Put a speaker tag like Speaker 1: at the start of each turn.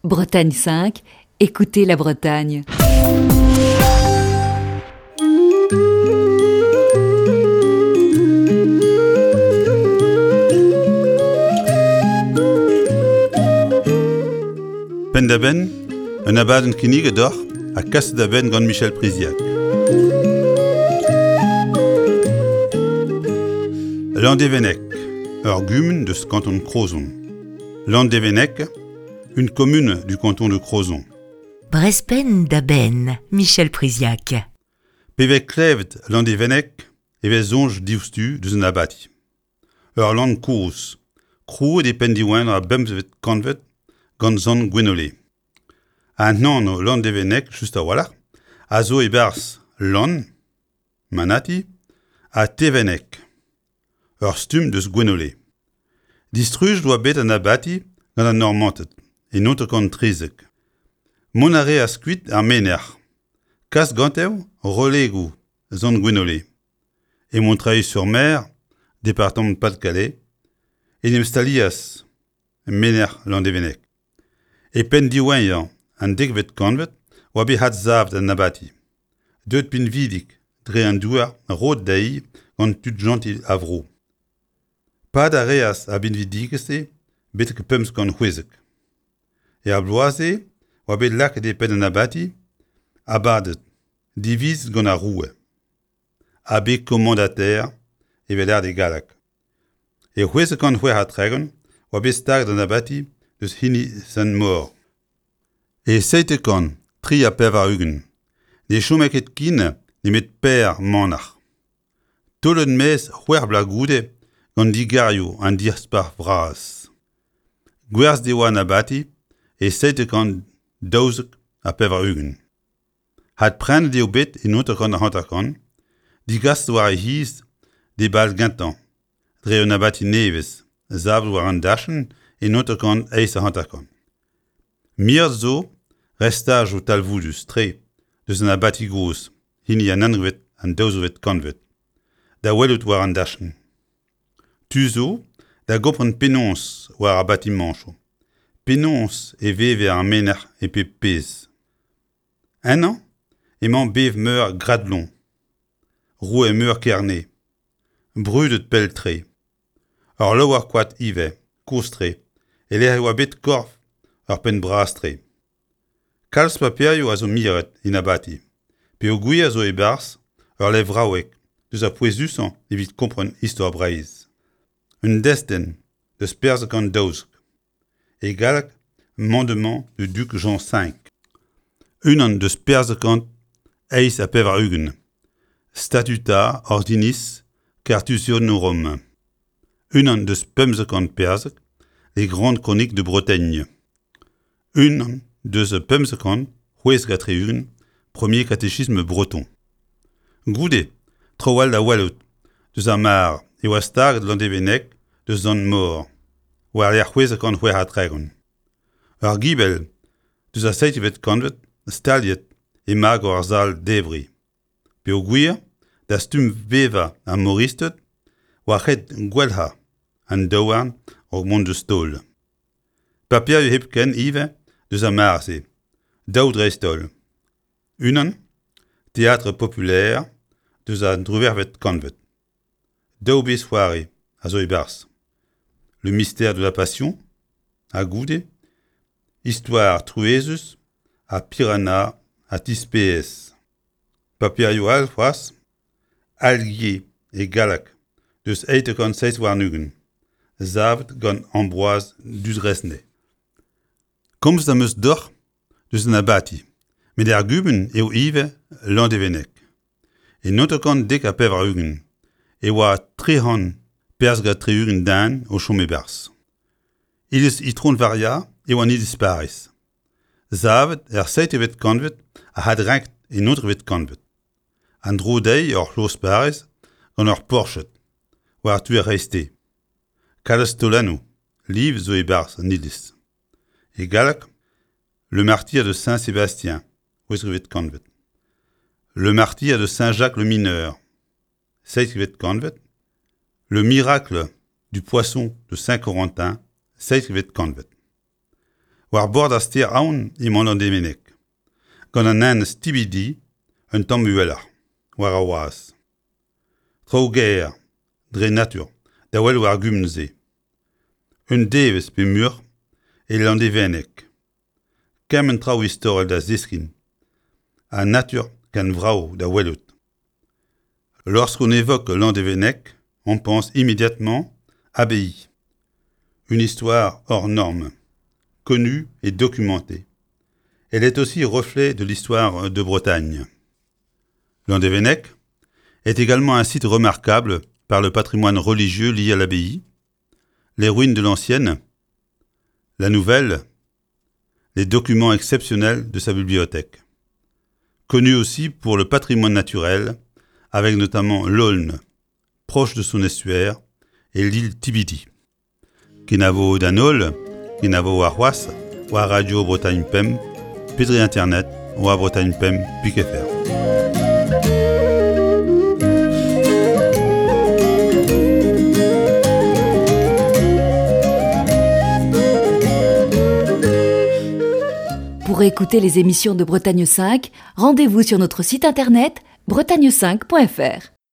Speaker 1: Bretagne 5, écoutez la Bretagne.
Speaker 2: Penn-da-benn, un abadenn kinniget deoc'h ha kaset da benn gant Michel Priziac. Landevennec, ur gumun deus kanton Crozon. Landevennec, une commune du canton de Crozon.
Speaker 1: Brespenn da benn, Michel Priziac.
Speaker 2: Pe vez klevet Landevennec e vez soñj diouzhtu deus un abati. Ur lann kozh, krouet e penn diwezhañ ar bemzvet kantved gant sant Gwenole. An anv Landevennec just a-walc'h a zo e-barzh Lann, Manati ha Tevenneg, ur stumm deus Gwenole. Distrujet oa bet an abati gant an Normanted e 1913. Mont a reas kuit ar menec'h, kas gante relegoù Sant Gwenole. E Montreuil-sur-Mer, departamant Pas-de-Calais, en em stalias menec'h Landevenneg. E penn diwezhañ an dekvet kantved oa bet adsavet an abati, deuet pinvidik dre an douar roet dezhi gant tud-jentil a vro. Pad a reas ar binvidigezh-se betek 516. Er bloaz-se oa bet lakaet e penn an abati abaded divizet gant ar roue, abbé commendataire evel ard e galleg. E 636 oa bet staget an abati eus hini Sant-Maur. E 783 ne chome ket ken nemet per manac'h. Taolet maez c'hwec'h bloaz goude gant digarioù an Diaspac'h Vras. Gwerzhet e oa an abati e 792. Adprenet eo bet en 1950, degaset war e c'hiz d'e bal gentañ dre un abati nevez savet war an dachenn en 1958. Miret zo restajoù talvoudus-tre deus an abati gozh, hini an unvet an daouzevet kantved, da welout war an dachenn. Tu zo da gompren penaos war ar batimañchoù, penaos e veve ar menec'h e pep pezh. Ennañ emañ bev-meur Gradlon, roue-meur Kerne, brudet pell-tre. Ur laouer-koad ivez, kozh-tre, e-lec'h e oa bet korf ur penn bras-tre. Kalz paperioù a zo miret en abati, peogwir zo e-barzh ul levraoueg deus ar pouezusañ evit kompren istor Breizh. Un destenn deus perzh gant daouzek. E galleg Mandement du duc Jean V. Unan deus perzh kant 88. Statuta ordinis Cartusionorum. Unan deus 15 perzhek Les Grandes Chroniques de Bretagne. Unan deus 576 Premier catéchisme breton. Goude, traoù all da welout deus ar mar e oa staget Landevenneg deus Sant-Maur war-lerc'h 636. Ur gibell deus ar seizhvet kantved staliet e magor ar sal-debriñ. Peogwir da stumm bevañ ar moristed oa ret gwalc'hañ an daouarn a-raok mont deus taol. Paperioù hepken ivez deus ar mare-se, daou dreist-holl. Unan, Théâtre populaire deus an driwec'hvet kantved. Daou bezh-c'hoari a zo e-barzh. Le mystère de la passion ha goude Histoire truezus ha Piranha ha Tispeez. Paperioù all c'hoazh, Algier e galleg deus 827 savet gant Ambroise Dudresnay. Komzet am eus deoc'h deus an abati, met er gumun eo ivez Landevenneg. E 1990 e oa 300 perzh-gant den o chom e-barzh. Iliz Itron-Varia eo an iliz Pariz, savet er seitevet kantved ha adrenket en nontekvet kantved. An dro dezhi ur c'hloz Pariz gant ur porched war tu ar c'hreisteiz. Kalz taolennoù liv zo e-barzh an iliz. E galleg, Le martyr de Saint-Sébastien, c'hwezekvet kantved. Le martyr de Saint-Jacques le Mineur, seizhvet kantved. Le miracle du poisson de Saint-Corentin, seizhvet kantved. War bord ar stêr Aon emañ Landevenneg, gant an enez Tibidi un tamm uheloc'h, war ar wazh. Traoù gaer, dre natur, da wel war gumun-se. Un devezh pe muioc'h e Landevenneg. Kement traoù istorel da zeskiñ ha natur ken vrav da welout. Lorsqu'on évoque Landevenneg, on pense immédiatement abbaye. Une histoire hors norme, connue et documentée. Elle est aussi reflet de l'histoire de Bretagne. Landevennec est également un site remarquable par le patrimoine religieux lié à l'abbaye, les ruines de l'ancienne, la nouvelle, les documents exceptionnels de sa bibliothèque. Connu aussi pour le patrimoine naturel, avec notamment l'Aulne, proche de son estuaire, et l'île Tibidi. Kenavo d'an holl, kenavo warc'hoazh, war Radio Bretagne Pemp, pe dre internet war bretagne5.fr.
Speaker 1: Pour écouter les émissions de Bretagne 5, rendez-vous sur notre site internet bretagne5.fr.